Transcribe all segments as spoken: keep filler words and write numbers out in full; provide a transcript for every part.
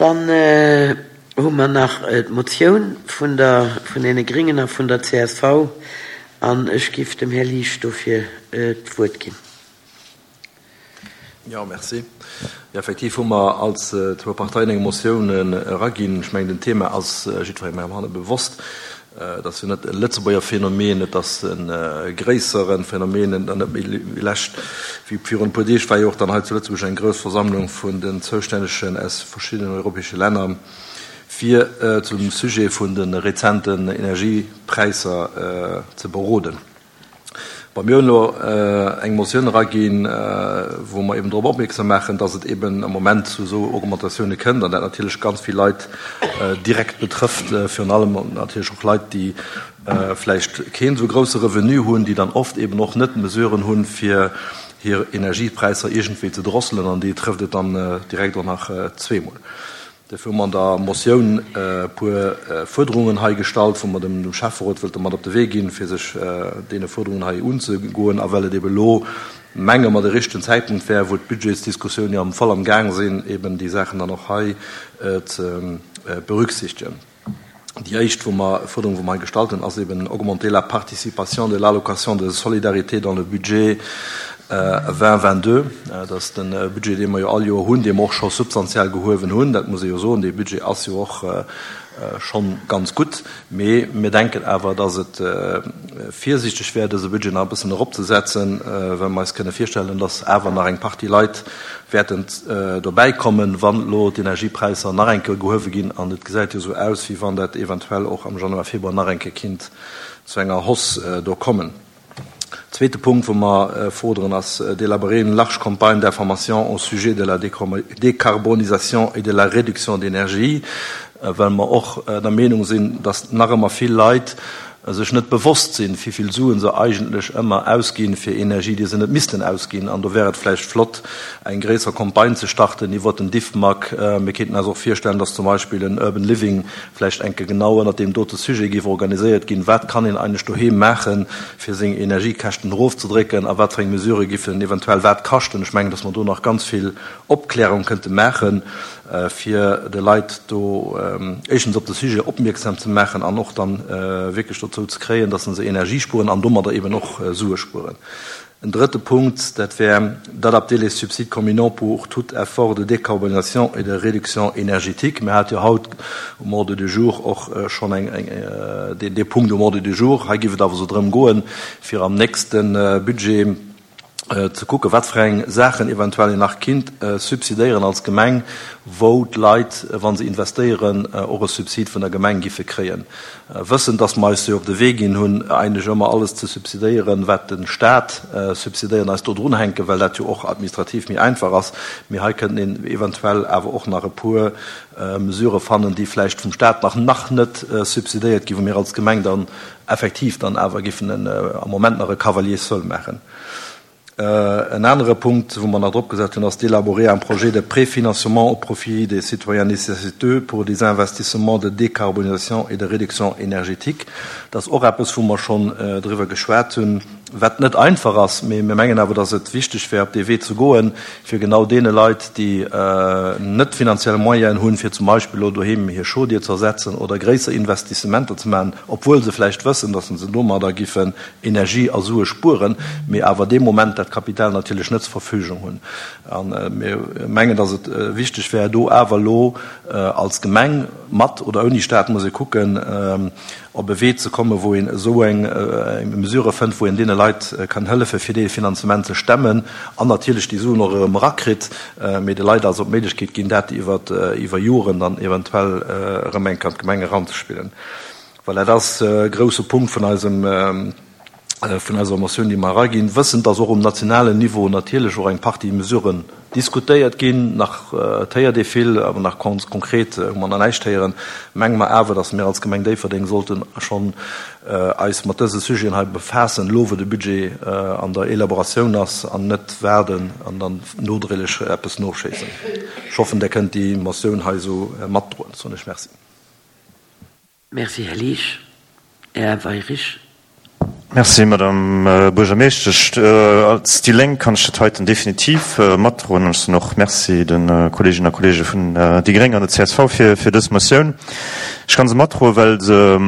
Dann hu mer nach d'Motioun vun der, vun deene Gringen a vun der C S V an ech giff dem Här Liesch dofir d'Wuert ginn. Ja, merci. Ja, effektiv hu mer als zwou Parteien eng Motioun eraginn. Ech mengen, den Thema ass jiddwerengem heibanne bewosst. Dat ass jo net e Lëtzebuerger Phänomen, et ass e gréissere Phänomen. An net méi lescht wéi virun e puer Deeg war jo och dann hei zu Lëtzebuerg eng grouss Versammlung vun den Zoustännegen aus verschiddenen europäesche Länner, fir zum Sujet vun de rezenten Energiepräisser ze beroden. Bon, mir hunn elo eng Motioun eraginn, wou mer eben drop opmierksam maachen, dass et eben am Moment zu esou Augmentatioune kënnt an dat natierlech ganz vill Leit direkt betrëfft, virun allem natierlech och Leit, déi vläicht keen esou grousse Revenu hunn, déi dann oft eben och net d'Mesuren hunn, fir hir Energiepräisser iergendwéi ze drosselen, an déi trëfft et dann direkt och nach zweemol. Dofir hu mer an der Motioun e puer Fuerderungen hei gestallt, wou mer dem Schäfferot wëlte mat op de Wee ginn, fir sech deene Fuerderungen hei unzegoen, a well et ebe elo, menge mer, de richtegen Zäitpunkt wär, wou d'Budgetsdiskussioune jo am voll am Gaang sinn, eben déi Saachen dann och hei ze berücksichtegen. Déi éischt wou mer, Fuerderung, wou mer hei gestallt hunn, ass eben augmenter la participation de l'allocation de solidarité dans le budget deux mille vingt-deux. Dat ass de Budget, dee mer jo all Joer hunn, dee mer och scho substantiell gehuewen hunn. Dat muss ee jo soen, dee Budget ass jo och schonn ganz gutt. Mee mir denken awer, dass et virsiichteg wär, dëse Budget nach e bëssen eropzesetzen, well mer eis kënne virstellen, dass awer nach eng Partie Leit wäerten dobäikommen, wann elo d'Energiepräisser nach eng Kéier gehuewe ginn. An et gesäit jo esou aus, wéi wann dat eventuell och am Januar, Februar nach eng Kéier kinnt zu enger Hausse do kommen. Zweete Punkt, wou mer forderen, ass d'élaborer une large campagne d'information au sujet de la décarbonisation et de la réduction d'énergie, well mer och der Meenung sinn, dass nach ëmmer vill Leit sech net bewosst sinn, wéi vill Suen se eigentlech ëmmer ausginn fir Energie, déi se net missten ausginn. An do wär et vläicht flott, eng gréisser Campagne ze starten iwwert den Diffmag. Mir kéinten eis och virstellen, dass zum Beispill en Urban Living vläicht eng Kéier genau ënnert deem dote Sujet géif organiséiert ginn. Wat kann een eigentlech doheem maachen, fir seng Energiekäschten erofzedrécken, a wat fir eng Mesurë giffen eventuell wat kaschten? Ech mengen, dass mer do nach ganz vill Opklärung kënnte maachen, fir de Leit do éischtens op de Sujet opmierksam ze maachen an och dann wierklech dozou ze kréien, dass se Energie spueren an domadder eben och Sue spueren. En drëtte Punkt, dat wär d'adapter les subsides communaux pour tout effort de décarbonisation et de réduction énergétique. Mir hate jo haut um Ordre du jour och schonn eng dee Punkt um Ordre du jour. Hei géif et awer esou drëm goen, fir am nächste Budget ze kucken, wat fir eng Saachen eventuell een nach kinnt subsidéieren als Gemeng, wou d'Leit, wa se investéieren, och e Subsid vun der Gemeng giffe kréien. Wëssend, dass mer eis jo op de Wee ginn hunn, eigentlech ëmmer alles ze subsidéieren, wat de Staat subsidéiert, eis do drunhänken, well dat jo och administrativ méi einfach ass. Mee hei kënnten een eventuell awer och nach e puer Mesurë fannen, déi vläicht vum Staat nach nach net subsidéiert ginn, wou mir als Gemeng dann effektiv dann awer giffen am Moment nach e Cavalier seul maachen. En anere Punkt, wou mer nach drop gesat hunn, ass d'élaborer un projet de préfinancement au profit des citoyens nécessiteux pour des investissements de décarbonisation et de réduction énergétique. Dat ass och eppes, wou mer schonn driwwer geschwat hunn, wat net einfach ass, mee mir mengen awer, dass et wichteg wär, op dee Wee ze goen, fir genau deene Leit, déi net finanziell Moyenen hunn, fir zum Beispill elo doheem hir Chaudière ze ersetzen oder gréisser Investissementer ze maachen, obwuel se vläicht wëssen, dass se domadder giffen Energie a Sue spueren, mee awer dee Moment dat Kapital natierlech net zur Verfügung hunn. A mir mengen, dass et wichteg wär, do awer elo als Gemeng, mat oder ouni Staat, muss ee kucken, op e Wee ze kommen, wou een esou eng Mesure fënnt, wou een deene Leit kann hëllefen, fir dee Finanzement ze stemmen an natierlech déi Suen och erëm erakritt, mee de Leit also d'Méiglechkeet ginn, dat iwwer iwwer Joren dann eventuell erëm eng Kéier an d'Gemeng eranzespillen. Well dat ass e grousse Punkt vun eisem vun eiser Motioun, déi mer eraginn, wëssend, dass och um nationalen Niveau natierlech och eng Partie Mesuren diskutéiert ginn. Nach et héiert ee vill, awer nach konkret hu mer nach näischt héieren. Menge mer awer, dass mir als Gemeng Déifferdeng sollten schonn eis mat dëse Sujeten hei befaassen, elo wou de Budget an der Elaboratioun ass, an net waarden an dann nodréiglech eppes noschéissen. Ech hoffen, Der kënnt déi Motioun hei esou matdroen. Soen ech Merci. Merci, Här Liesch. Här Weyrich. Merci, Madame Buergermeeschtesch. Als déi Lénk kann ech dat heiten definitiv matdroen. An ech soen och Merci de Kolleeginnen a Kolleege vun déi gréng an der csv fir, fir dës Motioun. Ech kann se matdroen, well se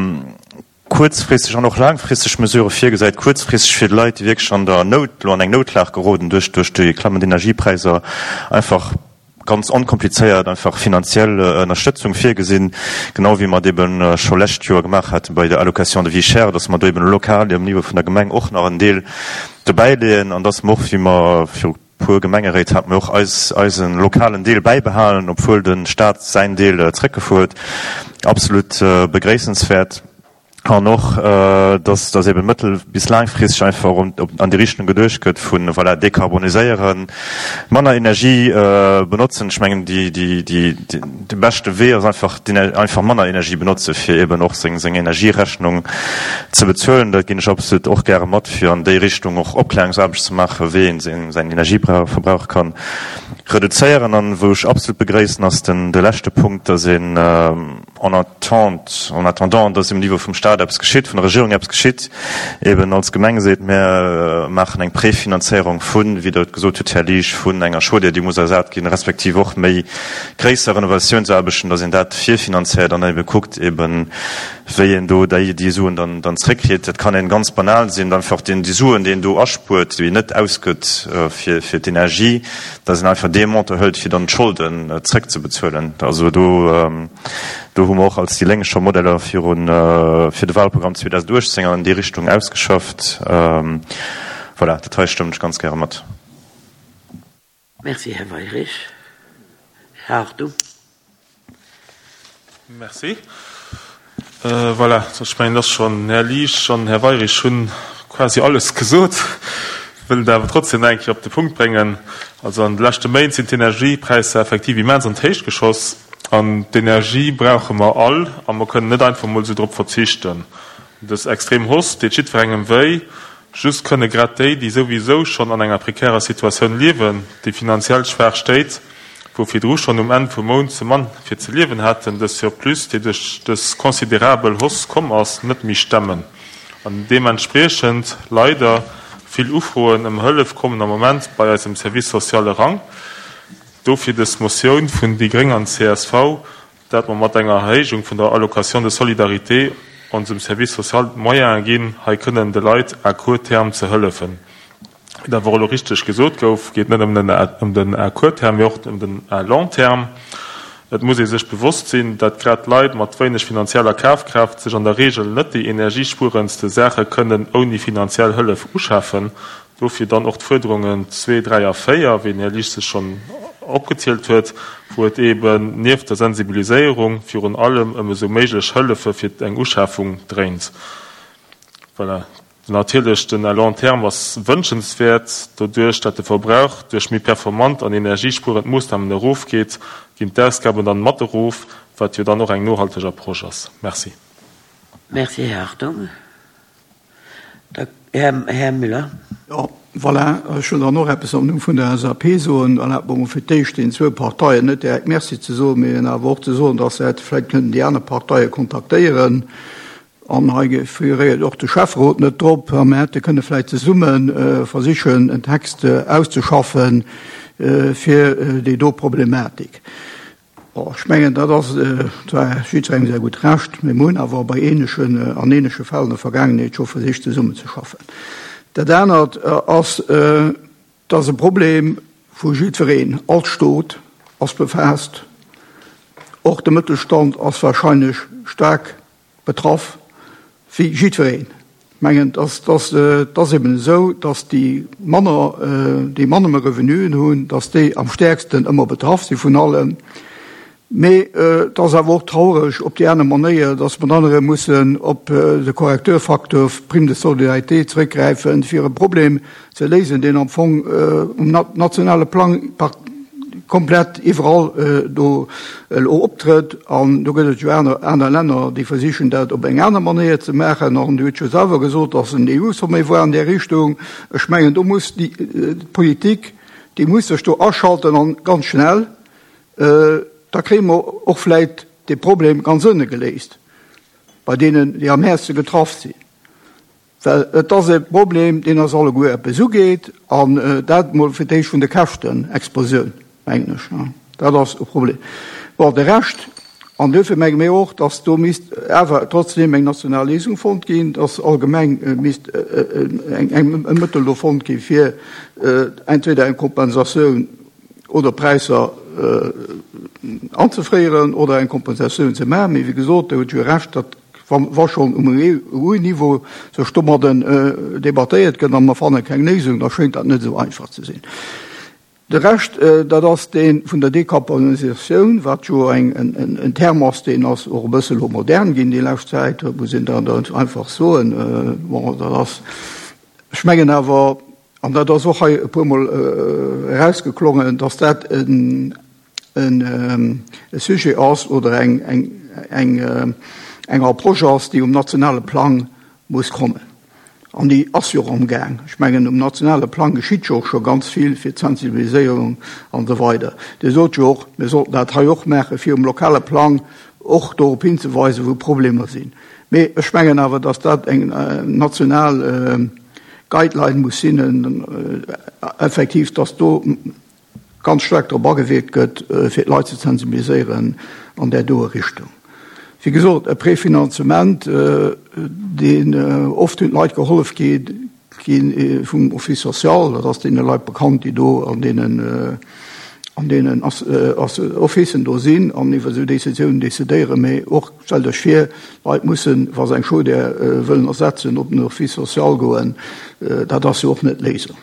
kuerzfristeg an och laangfristeg Mesurë virgesäit. Kuerzfristeg fir d'Leit, déi wierklech an der Nout, elo an eng Noutlag geroden duerch, duerch déi klammend Energiepräisser, einfach ganz onkomplizéiert einfach finanziell Ënnerstëtzung virgesinn, genau wéi mer et eben scho lescht Joer gemaach hate bei der Allocation de vie chère, dass mer do eben lokal um Niveau vun der Gemeng och nach en Deel dobäileeën an dass mer och, wéi mer viru puer Gemengeréit haten, och eis, eise lokalen Deel bäibehalen, obwuel de Stat säin Deel zréckgefuer huet. Absolut begréissenswäert. An och, dass, dass eben mëttel bis laangfristeg einfach an déi Richtung geduecht gëtt vun, voilà, dekarboniséieren, manner Energie benotzen. Ech mengen, déi, déi, déi, de beschte Wee ass einfach, einfach manner Energie benotze fir eben och seng, seng Energierechnung ze bezuelen. Dat ginn ech absolut och gäre mat, fir an déi Richtung och Opklärungsaarbecht ze maachen, wéi een seng, säin Energieverbrauch kann reduzéieren. An wou ech absolut begréissen, ass den, de leschte Punkt, dass een, en attente, en attendant, dass um Niveau vum Staat eppes geschitt, vun der Regierung eppes geschitt, eben als Gemeng seet, mir maachen eng Prefinanzéierung vun, wéi Der et gesot hutt, Här Liesch, vun enger Chaudière, déi muss ersat ginn, respektiv och méi gréisser Renovatiounsaarbechten, dass een dat virfinanzéiert an ebe kuckt, eben wéi een do déi, déi Suen dann, dann zréckkritt. Dat kann een ganz banal sinn, einfach deen, déi Suen, déi een do aspuert, déi een net ausgëtt fir, fir d'Energie, dass een einfach dee Montant hëlt, fir dann d'Scholden zréckzebezuelen. Also do, do hu mer och als déi Lénk scho Modeller virun, fir de Wahlprogramm zweedausenduechtzéng an déi Richtung ausgeschafft. Voilà, dat hei stëmmen ech ganz gäre mat. Merci, Här Weyrich. Här Hartung. Merci. Voilà, ech mengen, dass schonn Här Liesch an Här Weyrich hunn quasi alles gesot. Wëll et awer trotzdem nach eng Kéier op de Punkt bréngen. Also an de leschte Méint sinn d'Energiepräisser effektiv immens an d'Héicht geschoss. An d'Energie brauche mer all a mer kënnen net einfach mol esou drop verzichten. Dës extrem Hausse deet jiddwerengem wéi. Just kënne grad déi, déi souwisou schonn an enger prekärer Situatioun liewen, déi finanziell schwaach stéit, wou virdru schonn um Enn vum Mount ze mann fir ze liewen haten, dës Surplus, dee duerch dës considerabel Hausse komm ass, net méi stemmen. An deementspriechend leider vill Ufroen ëm Hëllef kommen am Moment bei eisem Service social eran. Dofir dës Motioun vun déi gréng an csv, dat mer mat enger Erhéijung vun der Allocation de solidarité onsem Service social d'Moyene ginn, hei kënnen de Leit à court terme ze hëllefen. Wéi et awer och elo richteg gesot gouf, geet net ëm den à court terme, mee och ëm den à long terme. Et muss ee sech bewosst sinn, dat grad Leit mat wéineg finanzieller Kafkraaft sech an der Reegel net déi energiespuerendste Saache kënnen ouni finanziell Hëllef uschafen. Dofir dann och d'Fuerderungen zwee, dräi a véier, wéi den Här Liesch se schonn opgezielt huet, wou et eeben nieft der Sensibiliséierung virun allem ëm esou méiglech Hëllefe fir eng Uschafung dréint. Voilà. Natierlech, den à long terme ass wënschenswäert. Doduerch, dat de Verbrauch duerch méi performant an energiespuerend Moossnamen erofgeet, ginn d'Ausgaben dann mat erof, wat jo dann och eng nohalteg Approche ass. Merci. Merci, Här Hartung. Da, Här, Här Müller. Jo, voilà, ech wëll dann och eppes am Numm vun der L S A P soen. Erlaabt mer emol fir d'éischt deenen zwou Parteien net direkt Merci ze soen, mee awer och ze soen, dass se hätte vläicht kënnen déi aner Parteie kontaktéieren. An hei figuréiert och de Schäfferot net drop. A mir hätte kënne vläicht zesumme versichen, en Text auszeschaffen fir déi do Problematik. Bon, ech mengen, dat ass zwar jiddwerengem säi gutt Recht, mee mir hunn awer bei ähnlechen, an ähnleche Fäll an der Vergaangenheet scho versicht zesummenzeschaffen. Dat anert ass, et ass e Problem vu jiddwereen, all Stot ass befaasst, och de Mëttelstand ass wahrscheinlech staark betraff, wéi jiddwereen. Ech mengen, et ass, et ass eben esou, dass déi manner, déi manner Revenuen hunn, dass déi am stäerksten ëmmer betraff si vun allem. Mee et ass awer och traureg op déi aner Manéier, dass mer dann erëm mussen op de Korrekturfaktor Prime de solidarité zrëckgräifen, fir e Problem ze léisen, deen am Fong um nationale Plang komplett iwwerall do elo optrëtt. An do gëtt et jo aner, aner Länner, déi versichen, dat op eng aner Manéier ze maachen. An Dir hutt jo selwer gesot, dass en E U-Sommet war an där Richtung. Ech mengen, do muss déi Politik, déi muss sech do aschalten an ganz schnell. Da kréie mer och vläit dee Problem ganz ënne geléist bei deenen, déi am häertste getraff sinn. Well et ass e Problem, deen eis alleguer eppes ugeet, an dat mol fir d'éischt vun de Käschtenexplosioun, mengen ech. Dat ass e Problem. Bon, de Rescht, an duerfir menge mir och, dass do misst awer trotzdeem eng national Léisung fonnt ginn, dass allgemeng misst eng, eng, e Mëttel do fonnt gi fir entweder eng Kompensatioun oder Präisser anzefréieren oder eng Kompensatioun ze maachen. Mee wéi gesot, Der hutt jo Recht, dat wa schonn um E U-Niveau sech domadden debattéiert gëtt a mer fanne keng Léisung, da schéngt dat net esou einfach ze sinn. De Rescht, dat ass dee vun der Dekarbonisatioun, wat jo en Term ass, deen ass och e bësse lo modern ginn déi lescht Zäit, muss een dann einfach soen. Bon, dat ass, ech mengen awer, an dat ass och hei e puermol erausgeklongen, dass dat en e Sujet ass oder eng, eng, eng, eng Approche ass, déi um nationale Plang muss kommen. An déi ass jo och amgaang. Ech mengen, um nationale Plang geschitt jo och scho ganz vill fir d'Sensibiliséierung an esou weider. Dir sot jo och, mir sollten dat hei och maachen, fir um lokale Plang och dorop hinzeweisen, wou Problemer sinn. Mee ech mengen awer, dass dat eng national Guideline muss sinn, effektiv, dass do ganz staark drop agewierkt gëtt, fir d'Leit ze sensibiliséieren an där doe Richtung. Wéi gesot, e Prefinanzement, deen oft hunn d'Leit gehollef gi vum Office social, dat ass deene Leit bekannt, déi do an deenen an deenen Officen do sinn an iwwer esou Décisiounen decidéieren. Mee och, stellt Iech vir, d'Leit mussen, wa se eng Chaudière wëllen ersetzen, op den Office social goen. Dat ass jo och net d'Léisung.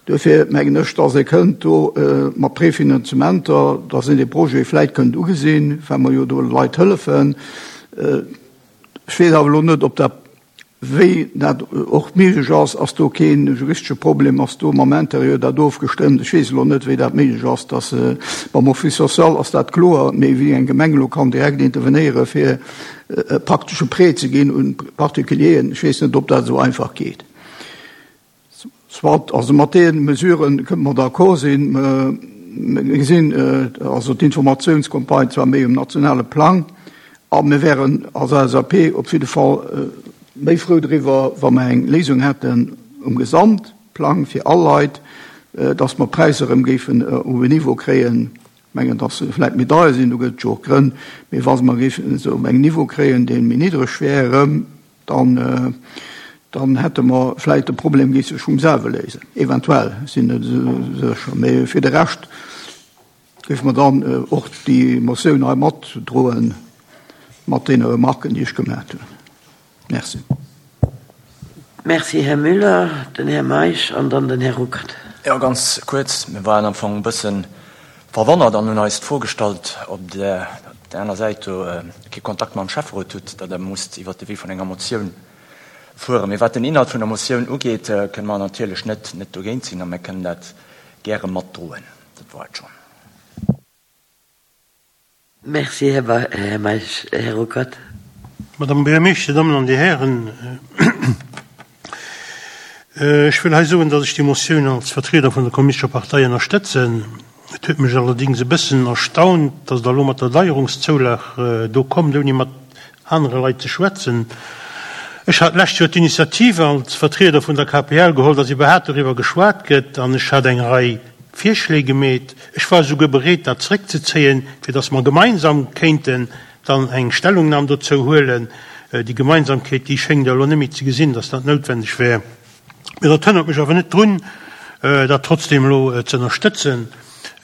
Duerfir mengen ech, dass ee kënnt do mat Prefinanzementer, dass een dee Projet vläit kënnt ugesinn, well mer jo do Leit hëllefen. Ech weess awer elo net, ob dat, wéi dat och méiglech ass. Ass do kee juristesche Problem? Ass do mam Interieur dat ofgestëmmt? Ech weess elo net, wéi dat méiglech ass, dass mam Office social ass dat kloer, mee wéi eng Gemeng elo kann direkt intervenéiere fir e praktesche Prêt ze ginn un Particulieren, ech weess net, ob dat esou einfach geet. Soit, also mat deene Mesurë kënne mer d'accord sinn. Mir gesinn also d'Informatiounscampagne zwar méi um nationale Plang, a mir wären als L S A P op jidde Fall méi frou driwwer, wa mer eng Léisung hätten um Gesamtplang fir all Leit, dass mer d'Präisser erëm géifen op en Niveau kréien, ech mengen, dass se vläicht méi deier sinn, do gëtt et jo och Grënn, mee wa mer géifen se op engem Niveau kréien, dee méi niddreg wär erëm, dann dann hätte mer vläicht de Problem géif sech vum selwe léisen. Eventuell, ech sinn net esou sécher. Mee fir de Rescht géife mer dann och déi Motioun hei matdroen, mat deene Remarken, déi ech gemat hunn. Merci. Merci, Här Müller. Den Här Meisch an dann den Här Ruckert. Jo, ganz kuerz. Mir waren am Fong e bësse verwonnert an hunn eis d'Fro gestallt, ob Der op der aner Säit do kee Kontakt mam Schäfferot hutt, datt Der musst iwwert de Wee vun enger Motioun fueren. Mee wat den Inhalt vun der Motioun ugeet, kënne mer natierlech net net dogéint sinn a mir kënnen dat gäre matdroen. Dat war et schonn. Merci, Här Meisch. Här Ruckert. Madame Buergermeeschter, Dir Dammen an Dir Hären, ech wëll hei soen, datt ech déi Motioun als Vertrieder vun der Kommunistescher Partei ënnerstëtzen. Et huet mech allerdings e bëssen erstaunt, datt Der elo mat der Deierungszoulag do kommt, ouni mat anere Leit ze schwätzen. Ech hat d'lescht Joer d'Initiative als Vertrieder vun der K P L geholl, datt iwwerhaapt doriwwer geschwat gëtt, an ech hat eng Rei Virschléi gemeet. Ech war esouguer bereet, dat zréckzezéien, fir datt mer gemeinsam kéinten dann eng Stellungnam dozou huelen. Déi Gemeinsamkeet, déi schéngt Der elo net méi ze gesinn, datt dat noutwendeg wär. Mee dat hënnert mech awer net drun, dat trotzdem elo ze ënnerstëtzen.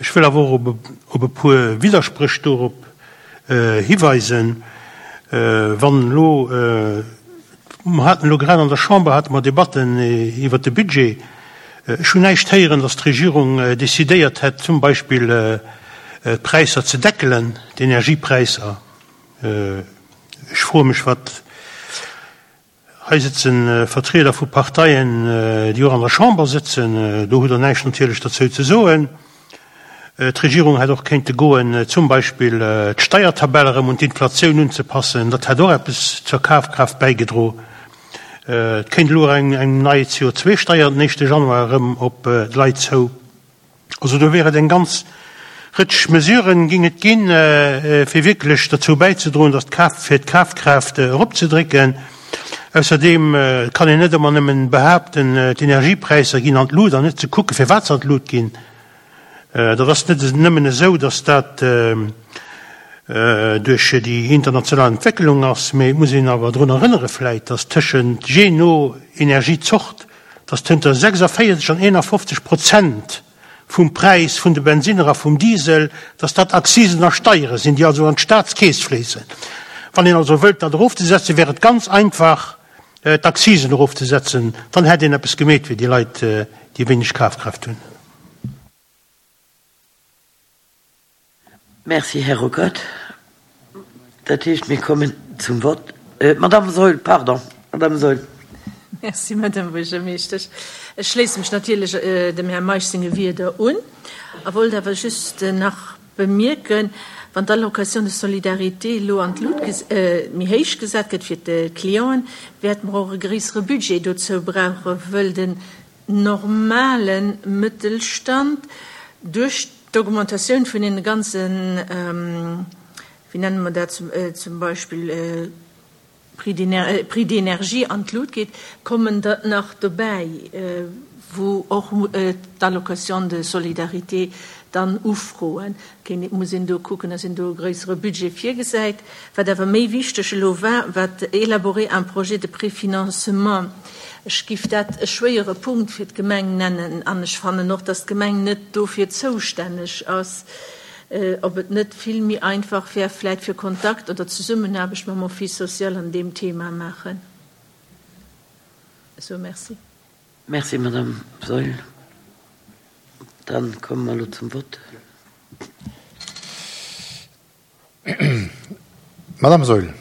Ech wëll awer och op e puer Widderspréch dorop hiweisen. Wann elo, mer haten elo grad an der Chamber hate mer Debatten iwwert de Budget, ech hunn näischt héieren, datt d'Regierung decidéiert hätt, zum Beispill d'Präisser ze deckelen, d'Energiepräisser. Ech froe mech, wat hei sëtze Vertrieder vu Parteien, déi och an der Chamber sëtzen, do hutt Der näischt natierlech derzou ze soen. D'Regierung hätt och kéinte goen, zum Beispill d'Steiertabell erëm un d'Inflatioun unzepassen, dat hätt och eppes zur Kafkraaft bäigedro. Et kéint elo och eng nei C O zwei Steier den éischte Januar erëm op d'Leit zou. Also do wär et eng ganz Rëtsch Mesuren ging et ginn, fir wierklech derzou bäizedroen, datt d'Kaf, fir d'Kafkraaft eropzedrécken. Ausserdeem kann een net ëmmer nëmmen behaapten, d'Energiepräisser ginn an d'Lut an net ze kucken, firwat se an d'Lut ginn. Dat ass net nëmmen esou, datt dat duerch déi international Entwécklung ass, mee et muss een awer drun erënnere vläit, datt tëschent, jee no Energiezort, datt tënter sechsundvéierzeg an einundfünfzig Prozent vum Präis vun de Bensinner a vum Diesel, datt dat Akzisen a Steiere sinn, déi also an d'Staatskeess fléissen. Wann een also wëllt, dat erofzesetzen, wär et ganz einfach, d'Akzisen erofzesetzen, dann hätt een eppes gemeet fir déi Leit, déi wenig Kafkraft hunn. Merci, Här Ruckert. Dat heescht, mir kommen zum Wort. Äh, Madame Saeul, pardon. Madame Saeul. Merci, Madame Buergermeeschtesch. Ech schléisse mech natierlech äh, dem Här Meisch senge Wierder un a wollt awer just äh, nach bemierken, wann d'Allocation de solidarité elo an d'Lut äh, méi héich gesat gëtt fir d'Clienten, wäerte mer och e gréissere Budget dozou brauchen, wëll den normale Mëttelstand duerch d'Augmentatioun vun den ganzen, ähm, wéi nenne mer dat zum, äh, zum Beispill, äh, Prix d'éner-, Prix d'énergie an d'Lut geet, kommen dat nach dobäi, äh, wou och, äh, d'Allocation de solidarité dann ufroen. Kéint, muss een do kucken, dass een do e gréissere Budget virgesäit. Wat awer méi wichteg elo war, wat élaborer un projet de préfinancement. Ech giff dat e schwéiere Punkt fir d'Gemeng nennen an ech fannen och, dass d'Gemeng net dofir zoustänneg ass, äh, ob et net vill méi einfach wär, vläit fir Kontakt oder Zesummenaarbecht mam Office social an deem Thema maachen. So, merci. Merci, Madame Saeul. Dann kommen wir elo zum Wort. Madame Saeul,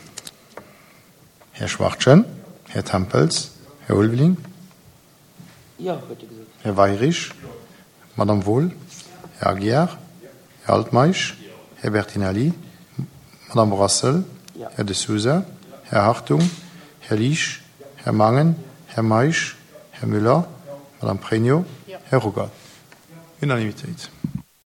Här Schwachtgen, Här Tempels, Här Ulveling, Ja, huet e gesot. Här Weyrich, Madame Wohl, Här Aguiar, Här Altmeisch, Här Bertinelli, Madame Brassel, Ja. Här De Sousa, Här Hartung, Här Liesch, Här Mangen, Här Meisch, Här Müller, Madame Pregno, Ja. Här Ruckert. Unanimitéit.